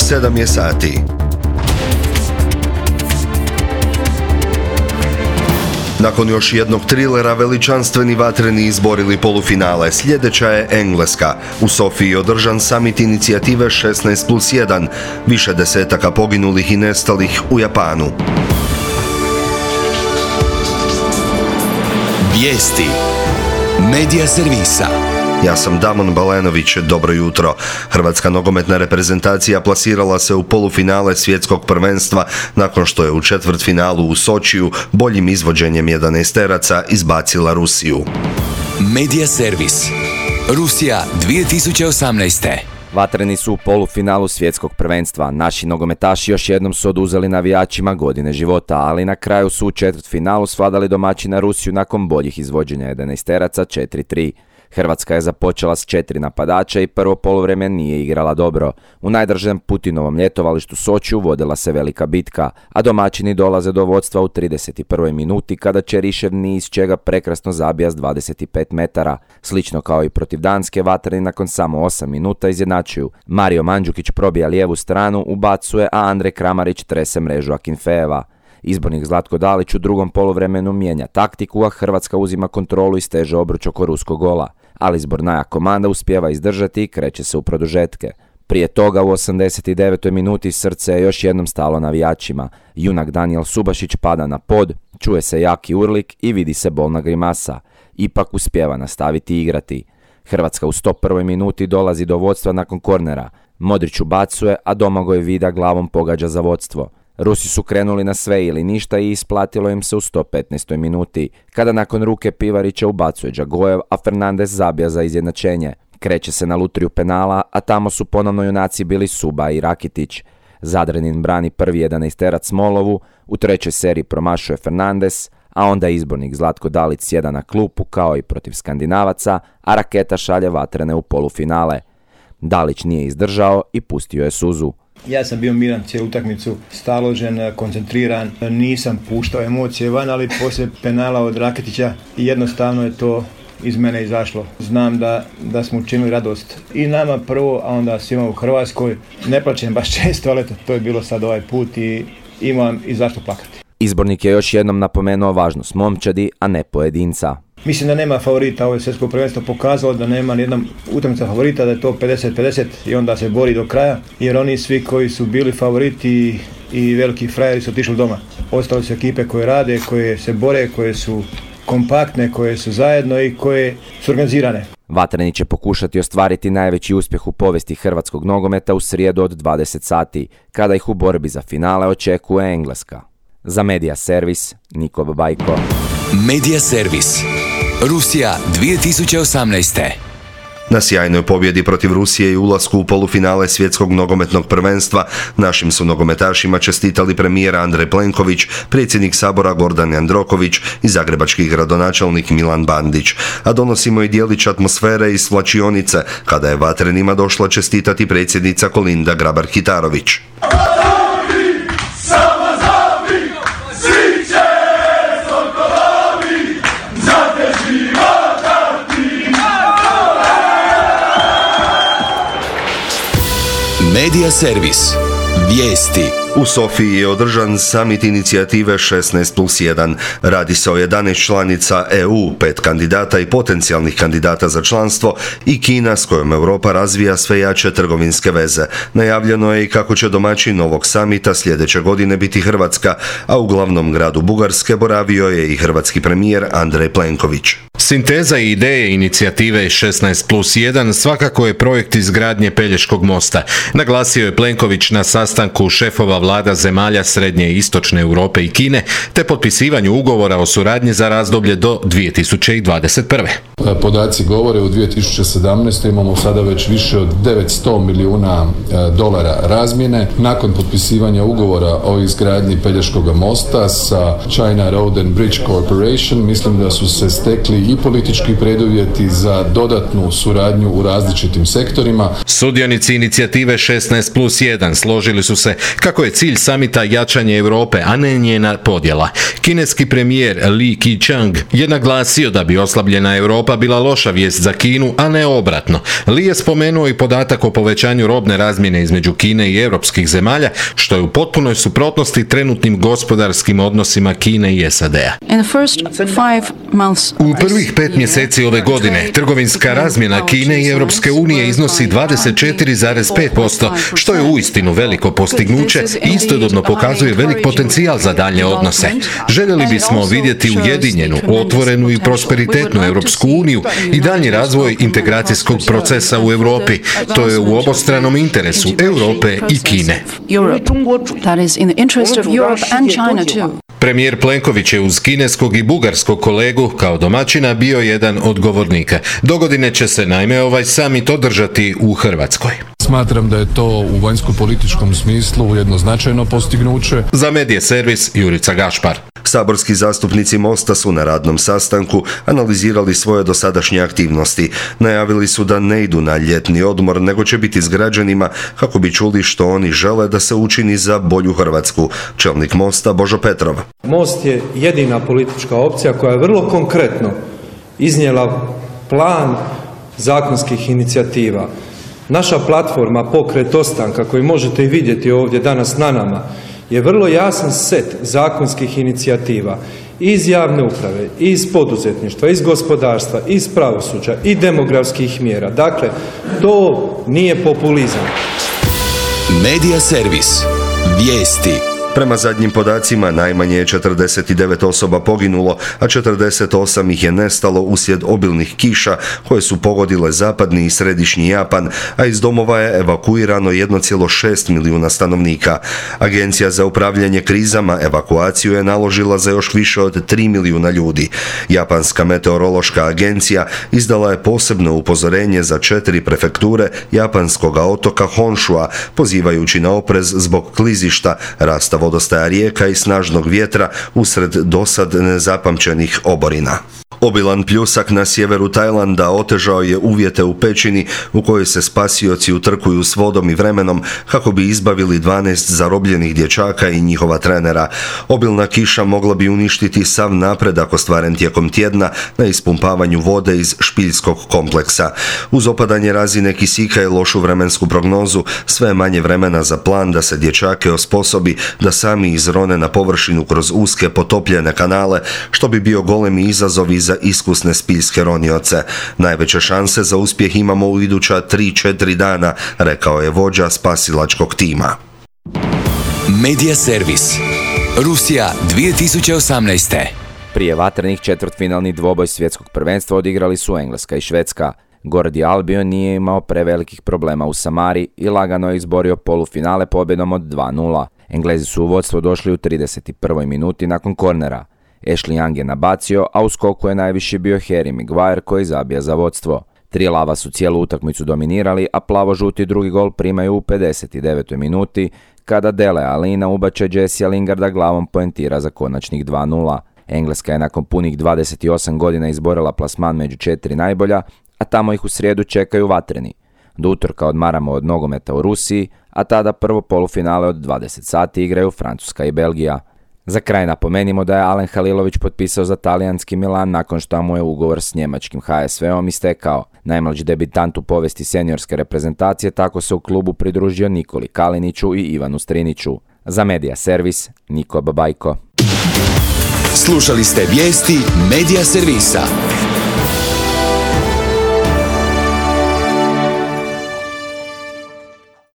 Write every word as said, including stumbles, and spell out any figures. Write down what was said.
sedam je sati. Nakon još jednog trilera veličanstveni vatreni izborili polufinale. Sljedeća je Engleska. U Sofiji je održan summit inicijative šesnaest plus jedan. Više desetaka poginulih i nestalih u Japanu. Vijesti Medija servisa. Ja sam Damon Balenović, dobro jutro. Hrvatska nogometna reprezentacija plasirala se u polufinale svjetskog prvenstva nakon što je u četvrtfinalu u Sočiju boljim izvođenjem jedanaesteraca izbacila Rusiju. Medija servis. Rusija dvije tisuće osamnaest. Vatreni su u polufinalu svjetskog prvenstva. Naši nogometaši još jednom su oduzeli navijačima godine života, ali na kraju su u četvrtfinalu svladali domaćina Rusiju nakon boljih izvođenja jedanaesteraca četiri tri. Hrvatska je započela s četiri napadača i prvo poluvrijeme nije igrala dobro. U najdržem Putinovom ljetovalištu Sočiju vodila se velika bitka, a domaćini dolaze do vodstva u trideset prvoj minuti kada Čerišev ni iz čega prekrasno zabija s dvadeset pet metara. Slično kao i protiv Danske, vatreni nakon samo osam minuta izjednačuju. Mario Mandžukić probija lijevu stranu, ubacuje, a Andrej Kramarić trese mrežu Akinfeeva. Izbornik Zlatko Dalić u drugom poluvremenu mijenja taktiku, a Hrvatska uzima kontrolu i steže obruč oko ruskog gola. Ali zbornaja komanda uspijeva izdržati i kreće se u produžetke. Prije toga u osamdeset devetoj minuti srce je još jednom stalo navijačima. Junak Danijel Subašić pada na pod, čuje se jaki urlik i vidi se bolna grimasa. Ipak uspijeva nastaviti igrati. Hrvatska u sto prvoj minuti dolazi do vodstva nakon kornera. Modrić ubacuje, a Domagoj Vida glavom pogađa za vodstvo. Rusi su krenuli na sve ili ništa i isplatilo im se u sto petnaestoj minuti, kada nakon ruke Pivarića ubacuje Džagojev, a Fernandez zabija za izjednačenje. Kreće se na lutriju penala, a tamo su ponovno junaci bili Suba i Rakitić. Zadrenin brani prvi jedanaesterac Smolovu, u trećoj seriji promašuje Fernandez, a onda izbornik Zlatko Dalić sjeda na klupu kao i protiv Skandinavaca, a Raketa šalje vatrene u polufinale. Dalić nije izdržao i pustio je suzu. Ja sam bio miran cijelu utakmicu, staložen, koncentriran, nisam puštao emocije van, ali poslije penala od Raketića jednostavno je to iz mene izašlo. Znam da, da smo učinili radost i nama prvo, a onda svima u Hrvatskoj. Ne plačem baš često, ali to je bilo sad ovaj put i imam i zašto plakati. Izbornik je još jednom napomenuo važnost momčadi, a ne pojedinca. Mislim da nema favorita, ovo je svjetsko prvenstvo pokazalo da nema nijedna utakmica favorita, da je to pedeset pedeset i onda se bori do kraja, jer oni svi koji su bili favoriti i veliki frajeri su otišli doma. Ostale su ekipe koje rade, koje se bore, koje su kompaktne, koje su zajedno i koje su organizirane. Vatreni će pokušati ostvariti najveći uspjeh u povijesti hrvatskog nogometa u srijedu od dvadeset sati, kada ih u borbi za finale očekuje Engleska. Za Medija servis, Niko Babajko. Medija servis. Rusija dvije tisuće osamnaest. Na sjajnoj pobjedi protiv Rusije i ulasku u polufinale svjetskog nogometnog prvenstva našim su nogometašima čestitali premijer Andrej Plenković, predsjednik Sabora Gordan Jandroković i zagrebački gradonačelnik Milan Bandić. A donosimo i dijelić atmosfere iz svlačionice, kada je vatrenima došla čestitati predsjednica Kolinda Grabar-Kitarović. Medija servis. Vijesti. U Sofiji je održan summit inicijative šesnaest plus jedan. Radi se o jedanaest članica E U, pet kandidata i potencijalnih kandidata za članstvo i Kina s kojom Europa razvija sve jače trgovinske veze. Najavljeno je i kako će domaćin novog samita sljedeće godine biti Hrvatska, a u glavnom gradu Bugarske boravio je i hrvatski premijer Andrej Plenković. Sinteza i ideje inicijative šesnaest plus jedan svakako je projekt izgradnje Pelješkog mosta. Naglasio je Plenković na sastanku šefova vlada zemalja Srednje i Istočne Europe i Kine, te potpisivanju ugovora o suradnji za razdoblje do dvije tisuće dvadeset prve. Podaci govore u dvije tisuće sedamnaestoj imamo sada već više od devetsto milijuna dolara razmjene. Nakon potpisivanja ugovora o izgradnji Pelješkog mosta sa China Road and Bridge Corporation, mislim da su se stekli i i politički preduvjeti za dodatnu suradnju u različitim sektorima. Sudionici inicijative šesnaest plus jedan složili su se kako je cilj samita jačanje Europe, a ne njena podjela. Kineski premijer Li Keqiang je naglasio da bi oslabljena Europa bila loša vijest za Kinu, a ne obratno. Li je spomenuo i podatak o povećanju robne razmjene između Kine i europskih zemalja, što je u potpunoj suprotnosti trenutnim gospodarskim odnosima Kine i S A D-a. U prvih pet mjeseci ove godine trgovinska razmjena Kine i Europske unije iznosi dvadeset četiri zarez pet posto, što je uistinu veliko postignuće i istodobno pokazuje velik potencijal za daljnje odnose. Željeli bismo vidjeti ujedinjenu, otvorenu i prosperitetnu Europsku uniju i daljnji razvoj integracijskog procesa u Europi. To je u obostranom interesu Europe i Kine. Premijer Plenković je uz kineskog i bugarskog kolegu kao domaćina bio jedan od govornika. Dogodine će se naime ovaj samit održati u Hrvatskoj. Smatram da je to u vanjsko-političkom smislu jedno značajno postignuće. Za Medija servis Jurica Gašpar. Saborski zastupnici Mosta su na radnom sastanku analizirali svoje dosadašnje aktivnosti. Najavili su da ne idu na ljetni odmor, nego će biti s građanima kako bi čuli što oni žele da se učini za bolju Hrvatsku. Čelnik Mosta Božo Petrov. Most je jedina politička opcija koja je vrlo konkretno iznijela plan zakonskih inicijativa. Naša platforma Pokret ostanka, koju možete i vidjeti ovdje danas na nama, je vrlo jasan set zakonskih inicijativa iz javne uprave, iz poduzetništva, iz gospodarstva, iz pravosuđa i demografskih mjera. Dakle, to nije populizam. Medija servis. Vijesti. Prema zadnjim podacima, najmanje je četrdeset devet osoba poginulo, a četrdeset osam ih je nestalo uslijed obilnih kiša koje su pogodile zapadni i središnji Japan, a iz domova je evakuirano jedan zarez šest milijuna stanovnika. Agencija za upravljanje krizama evakuaciju je naložila za još više od tri milijuna ljudi. Japanska meteorološka agencija izdala je posebno upozorenje za četiri prefekture japanskog otoka Honshua, pozivajući na oprez zbog klizišta, rasta vodostaja rijeka i snažnog vjetra usred dosad nezapamćenih oborina. Obilan pljusak na sjeveru Tajlanda otežao je uvjete u pećini u kojoj se spasioci utrkuju s vodom i vremenom kako bi izbavili dvanaest zarobljenih dječaka i njihova trenera. Obilna kiša mogla bi uništiti sav napredak ostvaren tijekom tjedna na ispumpavanju vode iz špiljskog kompleksa. Uz opadanje razine kisika i lošu vremensku prognozu, sve je manje vremena za plan da se dječake osposobi da sami izrone na površinu kroz uske potopljene kanale, što bi bio golemi izazov i za iskusne spiljske ronioce. Najveće šanse za uspjeh imamo u iduća tri četiri dana, rekao je vođa spasilačkog tima. Medija servis. Rusija dvije tisuće osamnaeste. Prije vatrenih četvrtfinalni dvoboj svjetskog prvenstva odigrali su Engleska i Švedska. Gordi Albion nije imao prevelikih problema u Samari i lagano je izborio polufinale pobjedom od dva nula. Englezi su u vodstvo došli u trideset prvoj minuti nakon kornera. Ashley Young je nabacio, a u skoku je najviši bio Harry Maguire koji zabija za vodstvo. Tri lava su cijelu utakmicu dominirali, a plavo-žuti drugi gol primaju u pedeset devetoj minuti kada Dele Alina ubače Jessija Lingarda glavom poentira za konačnih dva nula. Engleska je nakon punih dvadeset osam godina izborila plasman među četiri najbolja, a tamo ih u srijedu čekaju vatreni. Do utorka odmaramo od nogometa u Rusiji, a tada prvo polufinale od dvadeset sati igraju Francuska i Belgija. Za kraj napomenimo da je Alen Halilović potpisao za talijanski Milan nakon što mu je ugovor s njemačkim H S V-om istekao. Najmlađi debitant u povijesti seniorske reprezentacije tako se u klubu pridružio Nikoli Kaliniću i Ivanu Striniću. Za Medija servis, Niko Babajko. Slušali ste vijesti Medija servisa.